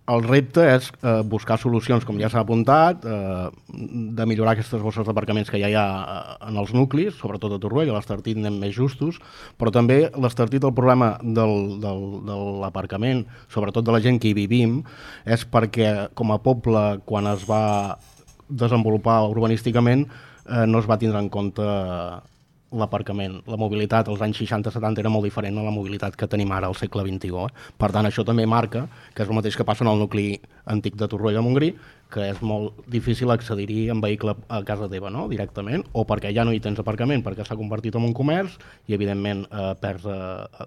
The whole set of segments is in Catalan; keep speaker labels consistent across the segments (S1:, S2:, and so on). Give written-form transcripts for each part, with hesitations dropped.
S1: El repte és buscar solucions, com ja s'ha apuntat, de millorar aquestes bosses d'aparcaments que ja hi ha en els nuclis, sobretot a Torroella, a l'Estartit anem més justos, però també l'Estartit, el problema de l'aparcament, sobretot de la gent que hi vivim, és perquè com a poble, quan es va desenvolupar urbanísticament, no es va tindre en compte l'aparcament. La mobilitat als anys 60-70 era molt diferent a la mobilitat que tenim ara al segle XXI. Per tant, això també marca que és el mateix que passa en el nucli antic de Torroella de Montgrí, que és molt difícil accedir-hi en vehicle a casa teva, no? Directament, o perquè ja no hi tens aparcament, perquè s'ha convertit en un comerç i, evidentment, perds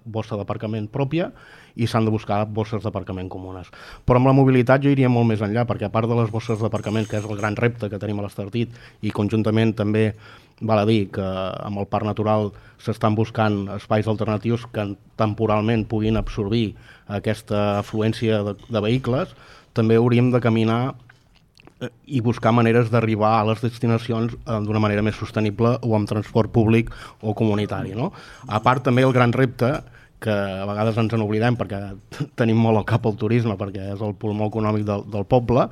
S1: bossa d'aparcament pròpia i s'han de buscar bosses d'aparcament comunes. Però amb la mobilitat jo iria molt més enllà, perquè a part de les bosses d'aparcament, que és el gran repte que tenim a l'Estartit, i conjuntament també val a dir que amb el parc natural s'estan buscant espais alternatius que temporalment puguin absorbir aquesta afluència de vehicles, també hauríem de caminar i buscar maneres d'arribar a les destinacions d'una manera més sostenible o amb transport públic o comunitari, no? A part també el gran repte, que a vegades ens n'oblidem perquè tenim molt al cap el turisme, perquè és el pulmó econòmic del poble,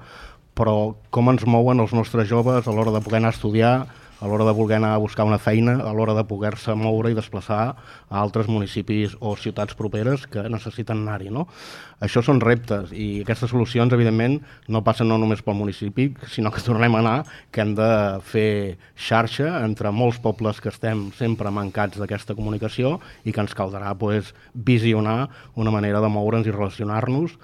S1: però com ens mouen els nostres joves a l'hora de poder anar a estudiar, a l'hora de voler anar a buscar una feina, a l'hora de poder-se moure i desplaçar a altres municipis o ciutats properes que necessiten anar-hi, no? Això són reptes i aquestes solucions, evidentment, no passen no només pel municipi, sinó que tornem a anar, que hem de fer xarxa entre molts pobles que estem sempre mancats d'aquesta comunicació i que ens caldrà visionar una manera de moure'ns i relacionar-nos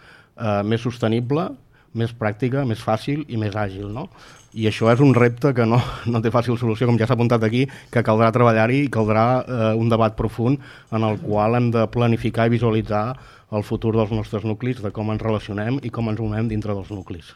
S1: més sostenible, més pràctica, més fàcil i més àgil, no? I això és un repte que no té fàcil solució, com ja s'ha apuntat aquí, que caldrà treballar-hi i caldrà un debat profund en el qual hem de planificar i visualitzar el futur dels nostres nuclis, de com ens relacionem i com ens movem dintre dels nuclis.